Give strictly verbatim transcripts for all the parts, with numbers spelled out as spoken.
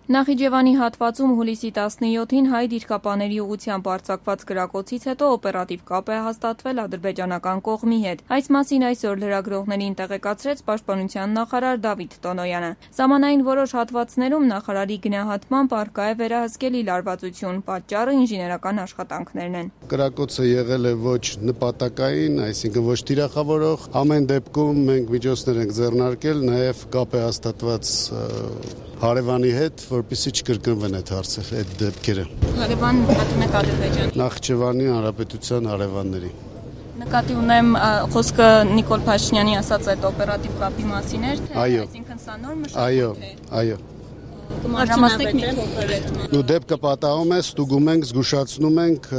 Նախիջևանի հատվածում հուլիսի տասնյոթին հայ դիրքապաների ուղղությամբ արձակված կրակոցից հետո օպերատիվ կապ է հաստատվել ադրբեջանական կողմի հետ։ Այս մասին այսօր լրագրողներին տեղեկացրեց Պաշտպանության նախարար Դավիթ Տոնոյանը։ Սահմանային որոշ հատվածներում նախարարի գնահատմամբ առկա է վերահսկելի լարվածություն, պատճառը ինժեներական աշխատանքներն են։ Կրակոցը եղել է ոչ նպատակային, այսինքն ոչ թիրախավորող, ամեն դեպքում մենք միջոցներ ենք ձեռնարկել, նաև կապ է հաստատված հարևանի հետ, որպեսզի չկրկնվեն այդ հարցերը, այդ դեպքերը։ Հարևան նկատում եք Ադրբեջանի։ Նախիջևանի Հանրապետության հարևանների։ Նկատի ունեմ խոսքը Նիկոլ Փաշինյանի ասած այդ օպերատիվ կապի մասին էր, թե այսինքն սա նոր մշակույթ է։ Այո, այո։ Կմանրամասնեք մի փոքր։ Նու դեպքը պատահում է, ստուգում ենք, զգուշացնում ենք,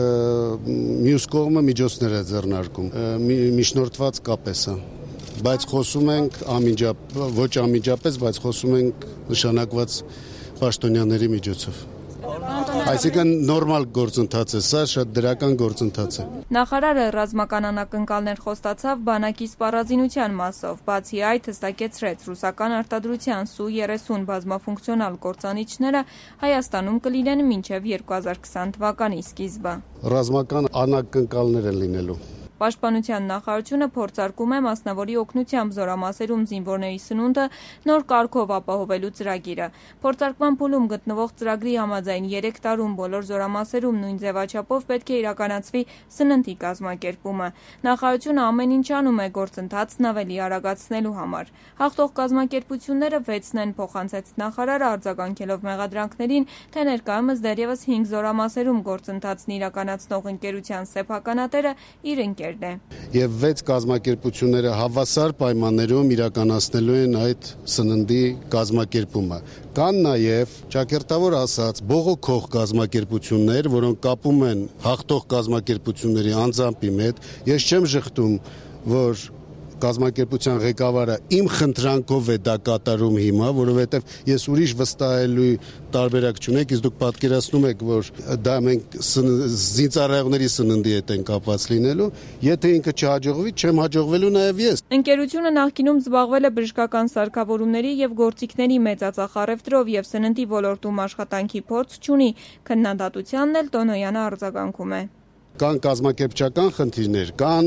մյուս կողմը միջոցներ է ձեռնարկում։ Միջնորդված կապ է սա։ Բայց խոսում ենք ամիջապ, ոչ ամիջապես, բայց խոսում ենք նշանակված պաշտոնյաների միջոցով։ Այսինքն նորմալ գործընթաց է սա, շատ դրական գործընթաց է։ Նախարարը ռազմական անակնկալներ խոստացավ բանակի սպառազինության մասով, բացի այդ հստակեցրեց ռուսական արտադրության Սու երեսուն բազմաֆունկցիոնալ կործանիչները Հայաստանում կլինեն մինչև երկու հազար քսան թվականի սկիզբը։ Ռազմական անակնկալներ են լինելու։ Պաշտպանության նախարարությունը փորձարկում է մասնավորի օգնությամբ զորամասերում զինվորների սնունդը նոր կարգով ապահովելու ծրագիրը։ Փորձարկման փուլում գտնվող ծրագրի համաձայն երեք տարում բոլոր զորամասերում նույն ձևաչափով պետք է իրականացվի սննդի կազմակերպումը։ Նախարարությունը ամեն ինչ անում է գործընթացն ավելի արագացնելու համար։ Հաղթող կազմակերպությունները վեցն են, փոխանցեց նախարարը, արձագանքելով մեղադրանքներին, թե ներկայումս դեռևս հինգ զորամասերում գործընթացն իրականացնող ընկերության սեփականատերը իր ընկեր Եվ վեց կազմակերպությունները հավասար պայմաններում իրականացնելու են այդ սննդի կազմակերպումը։ Կան նաև ճակերտավոր ասած բողոքող կազմակերպություններ, որոնք կապում են հաղթող կազմակերպությունների անձամբի հետ։ Ես չեմ ժխտում, որ կազմակերպության ղեկավարը իմ խնդրանքով է դա կատարում հիմա, որովհետև ես ուրիշ վստահելու տարբերակ չունեք, իսկ դուք պատկերացնում եք, որ դա մենք զինծառայողների սննդի հետ են կապված լինելու, եթե ինքը չհաջողվի, չեմ հաջողվելու նաև ես։ Ընկերությունը նախկինում զբաղվել է բժշկական սարքավորումների եւ գործիքների մեծածախ առևտրով եւ սննդի ոլորտում աշխատանքի փորձ չունի, քննադատությանն էլ Տոնոյանը արձագանքում է։ Կան կազմակերպչական խնդիրներ, կան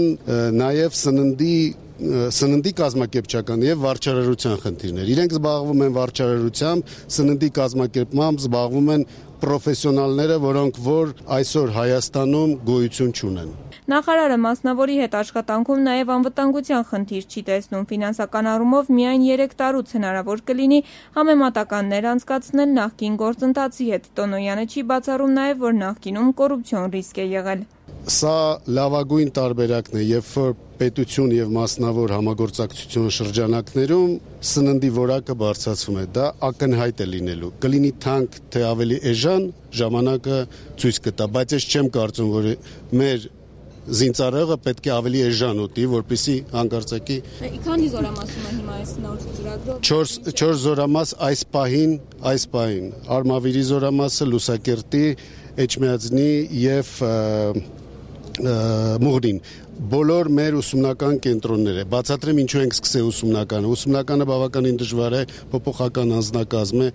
նաև սննդի սննդի կազմակերպչական եւ վարչարարության խնդիրներ։ Իրենք զբաղվում են վարչարարությամբ, սննդի կազմակերպմամբ զբաղվում են պրոֆեսիոնալները, որոնք որ այսօր Հայաստանում գոյություն չունեն։ Նախարարը մասնավորի հետ աշխատանքում նաև անվտանգության խնդիր չի տեսնում։ Ֆինանսական առումով միայն երեք տարուց հնարավոր կլինի համեմատականներ անցկացնել նախկին գործընթացի հետ։ Տոնոյանը չի բացառում նաև, որ նախկինում կոռուպցիոն ռիսկ է եղել։ Սա լավագույն տարբերակն է, երբ որ պետություն եւ մասնավոր համագործակցություն շրջանակներում սննդի որակը բարձրացվում է, դա ակնհայտ է լինելու։ Կլինի թանկ, թե ավելի էժան, ժամանակը ցույց կտա, բայց ես չեմ կարծում, որ մեր զինծառայողը պետք է ավելի էժան ուտի, որպեսզի հանկարծակի Քանի զորամասում է հիմա այս նոր ծրագրով։ չորս զորամաս այս պահին, այս պահին Արմավիրի զորամասը, Լուսակերտի, Էջմիածնի եւ Մուղրին բոլոր մեր ուսումնական կենտրոնները։ Բացատրեմ ինչու ենք սկսել ուսումնականը։ Ուսումնականը բավականին դժվար է, փոփոխական անձնակազմ է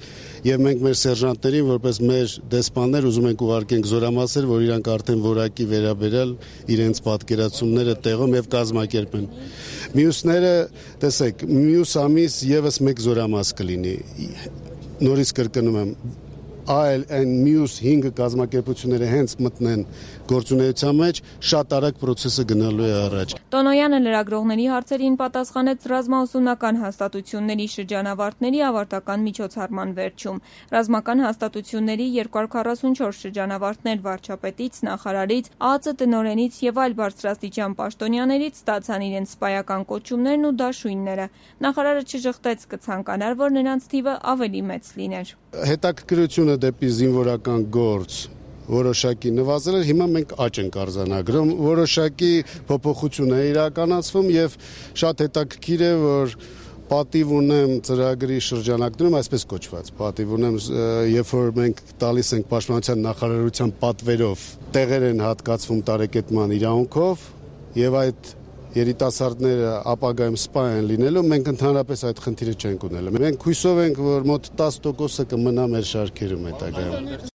եւ մենք մեր սերժանտներին որպես մեր դեսպաններ ուզում ենք ուղարկենք զորամասեր, որ իրանք արդեն որակի վերաբերել իրենց պատկերացումները տեղում եւ կազմակերպեն։ Մյուսները, տեսեք, մյուս ամիս եւս մեկ զորամաս կլինի։ Նորից կրկնում եմ, այլ այն մյուս հինգ կազմակերպությունները հենց մտնեն գործունեության մեջ, շատ արագ process-ը գնալու է առաջ։ Տոնոյանը լրագրողների հարցերին պատասխանեց ռազմաուսումնական հաստատությունների շրջանավարտների ավարտական միջոցառման վերջում։ Ռազմական հաստատությունների երկու հարյուր քառասունչորս շրջանավարտներ վարչապետից, նախարարից, ԱԱԾ տնօրենից եւ այլ բարձրաստիճան պաշտոնյաներից ստացան իրենց սպայական կոչումներն ու դաշույնները։ Նախարարը չժխտեց, կցանկանար, որ նրանց թիվը ավելի մեծ լիներ։ Հետաքրքրությունը դեպի զինվորական գործ որոշակի նվազել էր, հիմա մենք աճ ենք արձանագրում, որոշակի փոփոխություն է իրականացվում եւ շատ հետաքրքիր է, որ պատիվ ունեմ ծրագրի շրջանակներում, այսպես կոչված, պատիվ ունեմ, երբ որ մենք տալիս ենք Պաշտպանության նախարարության պատվերով, տեղեր են հատկացվում տարեկետման իրավունքով եւ այդ երիտասարդները ապագայում սպա են լինելու, մենք ընդհանրապես այդ խնդիրը չենք ունելու։ Մենք հույսով ենք, որ մոտ տասը տոկոսը կմնա մեր շարքերում հետագայում։